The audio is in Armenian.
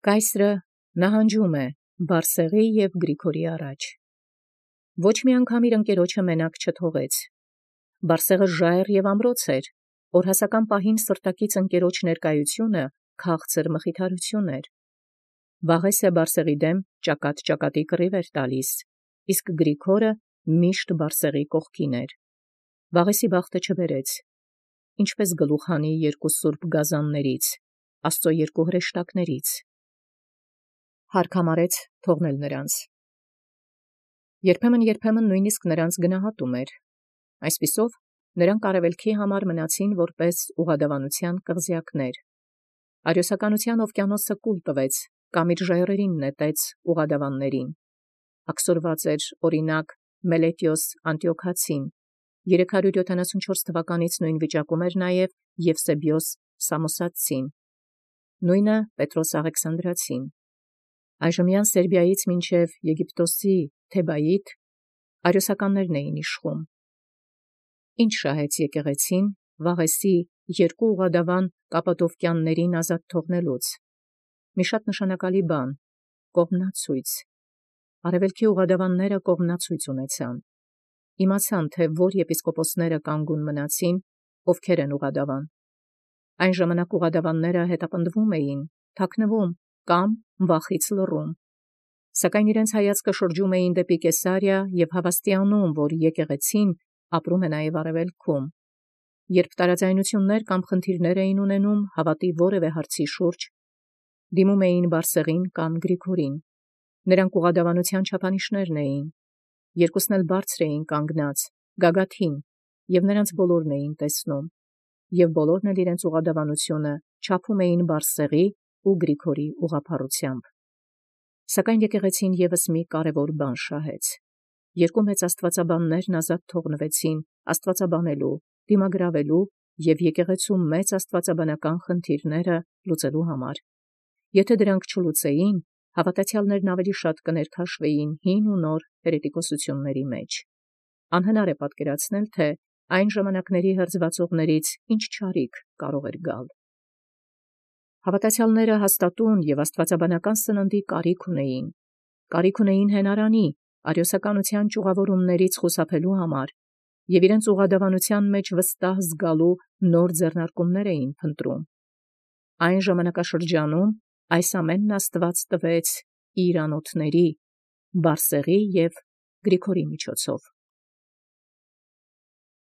Կայսրը նահանջում է Բարսեղի և Գրիգորի առաջ։ Ոչ մի անգամ իր ընկերոջը մենակ չթողեց։ Բարսեղը ժայռ և ամրոց էր, օրհասական պահին սրտակից ընկերոջ ներկայությունը քաղցր մխիթարություն էր։ Վաղէսը Բարսեղի դեմ ճակատի կռիվ էր տալիս, իսկ Գրիգորը միշտ Բարսեղի կողքին էր։ Վաղէսի բախտը չբերեց, ինչպես գլուխ հանի երկու սուրբ գազաններից, Աստծո երկու հրեշտակներից։ Հարկ համարեց թողնել նրանց։ Երբեմն նույնիսկ նրանց գնահատում էր։ Այսպիսով նրանք արևելքի համար մնացին որպես ուղղադավանության կղզյակներ։ Արիոսականության օվկիանոսը կուլ տվեց կամ իր ժայռերին նետեց ուղղադավաններին։ Աքսորված էր օրինակ Մելետիոս Անտիոքացին, 374 թվականից նույն վիճակում էր նաև Եվսեբիոս Սամոսացին, նույնը Պետրոս Աղեքսանդրացին։ Այժմյան Սերբիայից մինչև Եգիպտոսի Թեբայիդ արիոսականներն էին իշխում։ Ինչ շահեց եկեղեցին վաղեսի երկու ուղղադավան կապադովկյաններին ազատ թողնելուց։ Մի շատ նշանակալի բան՝ կողմնացույց։ Արևելքի ուղղադավանները կողմնացույց ունեցան։ Իմացան, թե որ եպիսկոպոսները կանգուն մնացին, ովքեր են ուղղադավան։ Այն ժամանակ ուղղադավանները հետապնդվում էին, թաքնվում կամ վախից լռում։ Սակայն իրենց հայացքը շրջում էին դեպի Կեսարիա և հավաստիանում, որ եկեղեցին ապրում է նաև արևելքում։ Երբ տարաձայնություններ կամ խնդիրներ էին ունենում հավատի որևէ հարցի շուրջ, դիմում էին Բարսեղին կամ Գրիգորին։ Նրանք ուղղադավանության չափանիշներն էին։ Երկուսն էլ բարձր էին կանգնած, գագաթին, և նրանց բոլորն էին տեսնում, և բոլորն էլ իրենց ուղղադավանությունը չափում էին Բարսեղի ու Գրիգորի ուղղափառությամբ։ Սակայն եկեղեցին ևս մի կարևոր բան շահեց։ Երկու մեծ աստվածաբաններն ազատ թողնվեցին աստվածաբանելու, դիմագրավելու և եկեղեցու մեծ աստվածաբանական խնդիրները լուծելու համար։ Եթե դրանք չլուծեին, հավատացյալներն ավելի շատ կներքաշվեին հին ու նոր հերետիկոսությունների մեջ։ Անհնար է պատկերացնել, թե այն ժամանակների հրձվածողներից ինչ չարիք կարող էր գալ։ Հավատացյալները հաստատուն և աստվածաբանական սննդի կարիք ունեին։ Կարիք ունեին հենարանի, արիոսականության ճյուղավորումներից խուսափելու համար, և իրենց ուղղադավանության մեջ վստահ զգալու նոր ձեռնարկումներ էին փնտրում։ Այն ժամանակաշրջանում այս ամենն Աստված տվեց իր անոթների՝ Բարսեղի և Գրիգորի միջոցով։